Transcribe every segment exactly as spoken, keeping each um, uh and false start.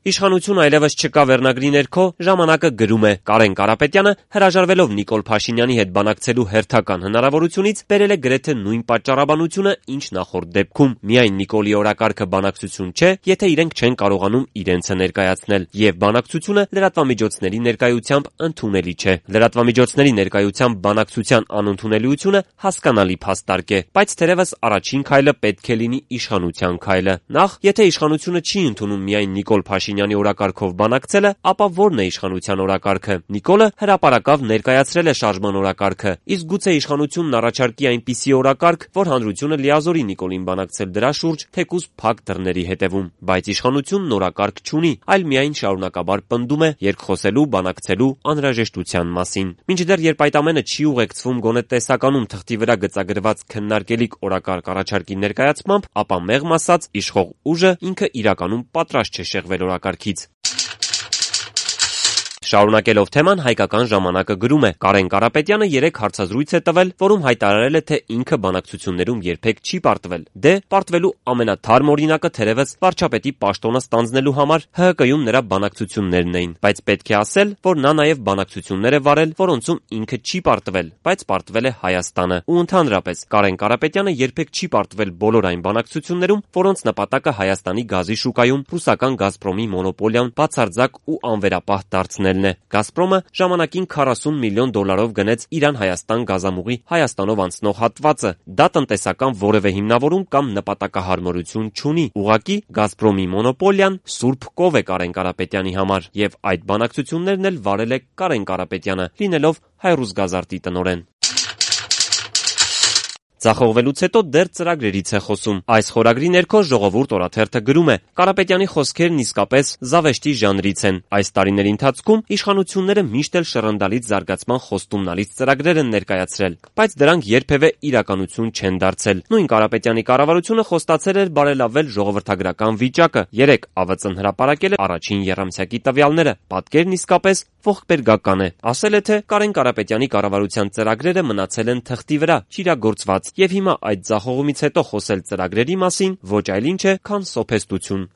Իշխանություն այլևս չկա վերնագրի ներքո ժամանակը գրում է. Կարեն Կարապետյանը հրաժարվելով Նիկոլ Փաշինյանի հետ բանակցելու հերթական հնարավորությունից բերել է գրեթե նույն պատճառաբանությունը, ինչ նախորդ դեպքում. միայն Նիկոլի օրակարգը բանակցություն չէ, եթե իրենք չեն կարողանում իրենցը ներկայացնել, եւ բանակցությունը լրատվամիջոցների ներկայությամբ ընդունելի չէ։ Լրատվամիջոցների ներկայությամբ բանակցության անընդունելիությունը հասկանալի փաստարկ է, բայց թերևս առաջին քայլը պետք է լինի իշխանության քայլը։ Նախ, եթե իշխանությունը չի ընդունում միայն Նիկոլ Փաշինյանի օրակարգով բանակցելը, ապա ո՞րն է իշխանության օրակարգը։ Նիկոլը հրապարակավ ներկայացրել է շարժման օրակարգը, իսկ գուցե իշխանությունն առաջարկի այնպիսի օրակարգ, որ հանրությունը լիազորի Նիկոլին բանակցել դրա շուրջ, թեկուզ փակ դռների հետևում։ Բայց իշխանությունն օրակարգ չունի, այլ միայն շարունակաբար պնդում է երկխոսելու, բանակցելու անհրաժեշտության մասին։ Մինչդեռ երբ այդ ամենը չի ուղեկցվում գոնե տեսականում թղթի վրա գծագրված քննարկելիք օրակարգ առաջարկի ներկայացմամբ, ապա մեղմ ասած իշխող ուժը ինքը իրականում պատրաստ չէ շեղվել օրակարգից։ Շարունակելով թեման, Հայկական ժամանակը գրում է. Կարեն Կարապետյանը երեկ հարցազրույց է տվել, որում հայտարարել է, թե ինքը բանակցություններում երբեք չի պարտվել։ Դե, պարտվելու ամենաթարմ օրինակը թերևս վարչապետի պաշտոնը ստանձնելու համար Հ Հ Կում նրա բանակցություններն էին, բայց պետք է ասել, որ նա նաև բանակցություններ է վարել, որոնցում ինքը չի պարտվել, բայց պարտվել է Հայաստանը։ Ու ընդհանրապես Կարեն Կարապետյանը երբեք չի պարտվել բոլոր այն բանակցություններում, որոնց նպատակը Հայաստանի գազի շուկայում ռուսական Գազպրոմի մոնոպոլիան բացարձակ ու անվերապահ դարձնելն է։ Գազպրոմը ժամանակին քառասուն միլիոն դոլարով գնեց Իրան-Հայաստան գազամուղի Հայաստանով անցնող հատվածը։ Դա տնտեսական որևէ հիմնավորում կամ նպատակահարմարություն չունի։ Ուղղակի Գազպրոմի մոնոպոլիան սուրբ կով է Կարեն Կարապետյանի համար, եւ այդ բանակցություններն էլ վարել է Կարեն Կարապետյանը, լինելով Հայրուսգազարտի տնօրեն։ Ձախողվելուց հետո դեռ ծրագրերից է խոսում։ Այս խորագրի ներքո Ժողովուրդ օրաթերթը գրում է. Կարապետյանի խոսքերն իսկապես զավեշտի ժանրից են։ Այս տարիների ընթացքում իշխանությունները միշտ էլ շռնդալից զարգացման խոստումնալից ծրագրեր են ներկայացրել, բայց դրանք երբևէ իրականություն չեն դարձել։ Նույն Կարապետյանի կառավարությունը խոստացել էր բարելավել ժողովրդագրական վիճակը։ Երեկ Ա V Ծ-ն հրապարակել է առաջին եռամսյակի տվյալները։ Պատկերն իսկապես ողբերգական է։ Ասել է, թե Կարեն Կարապետյանի կառավարության ծրագրերը մնացել են թղթի վրա, չիրագործված, եւ հիմա այդ ձախողումից հետո խոսել ծրագրերի մասին ոչ այլ ինչ է, քան սոփեստություն։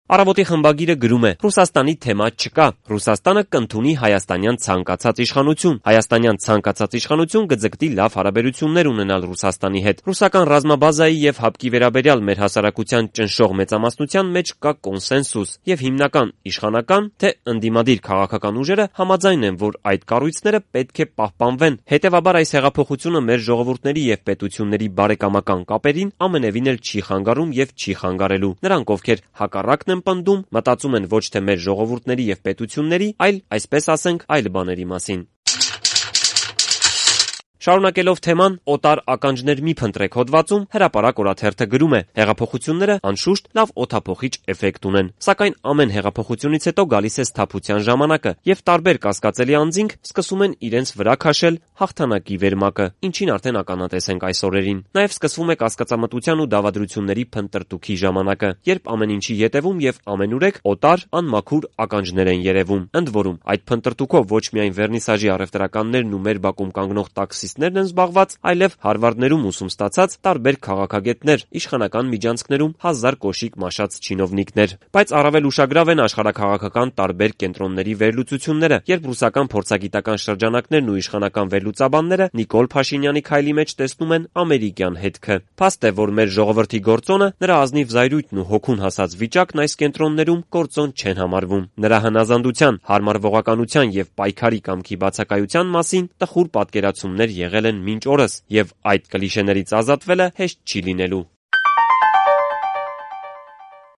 Առավոտի խմբագիրը գրում է. Ռուսաստանի թեմա չկա։ Ռուսաստանը կընդունի հայաստանյան ցանկացած իշխանություն։ Հայաստանյան ցանկացած իշխանություն կձգտի լավ հարաբերություններ ունենալ Ռուսաստանի հետ։ Ռուսական ռազմաբազայի եւ հապկի վերաբերյալ մեր հասարակության ճնշող մեծամասնության մեջ կա կոնսենսուս, եւ հիմնական իշխանական թե ընդդիմադիր քաղաքական ուժերը համաձայն են, որ այդ կառույցները պետք է պահպանվեն։ Հետևաբար այս հեղափոխությունը մեր ժողովուրդների եւ պետությունների բարեկամական կապերին ամենևին էլ չի խանգարում եւ չի խանգարելու։ Նրանք, ովքեր հակառակն պնդում, մտածում են ոչ թե մեր ժողովուրդների եւ պետությունների, այլ, այսպես ասենք, այլ բաների մասին։ Շարունակելով թեման, օտար ականջներ մի փնտրեք հոդվածում հրապարակ օրաթերթը գրում է. հեղափոխությունները անշուշտ լավ օդափոխիչ էֆեկտ ունեն, սակայն ամեն հեղափոխությունից հետո գալիս է սթափության ժամանակը, եւ տարբեր կասկածելի անձինք սկսում են իրենց վրա քաշել հաղթանակի վերմակը, ինչին արդեն ականատես ենք այս օրերին։ Նաեւ սկսվում է կասկածամտության ու դավադրությունների փնտրտուքի ժամանակը, երբ ամեն ինչի ետևում եւ ամենուրեք օտար, անմաքուր ականջներ են երևում։ Ընդ որում, այդ փնտրտուքով ոչ միայն վերնիսաժի առևտրականներն ու մեր բակում կանգնող տաքսիստներն են զբաղված, այլև Հարվարդներում ուսում ստացած տարբեր քաղաքագետներ, իշխանական միջանցքներում հազար կոշիկ մաշած չինովնիկներ։ Բայց առավել ուշագրավ են աշխարհաքաղաքական տարբեր կենտրոնների վերլուծությունները, երբ ռուսական փորձագիտական շրջանակներն ու իշխանական վերլուծաբանները Նիկոլ Փաշինյանի քայլի մեջ տեսնում են ամերիկյան հետքը։ Փաստ է, որ մեր ժողովրդի գործոնը, նրա ազնիվ զայրույթն ու հոգուն հասած վիճակն այս կենտրոններում գործոն չեն համարվում։ Նրա հնազանդության, հարմարվողականության եւ պայքարի կամքի բացակայության մասին տխուր պատկերացումներ եղել են մինչ օրս, եւ այդ կլիշեներից ազատվելը հեշտ չի լինելու։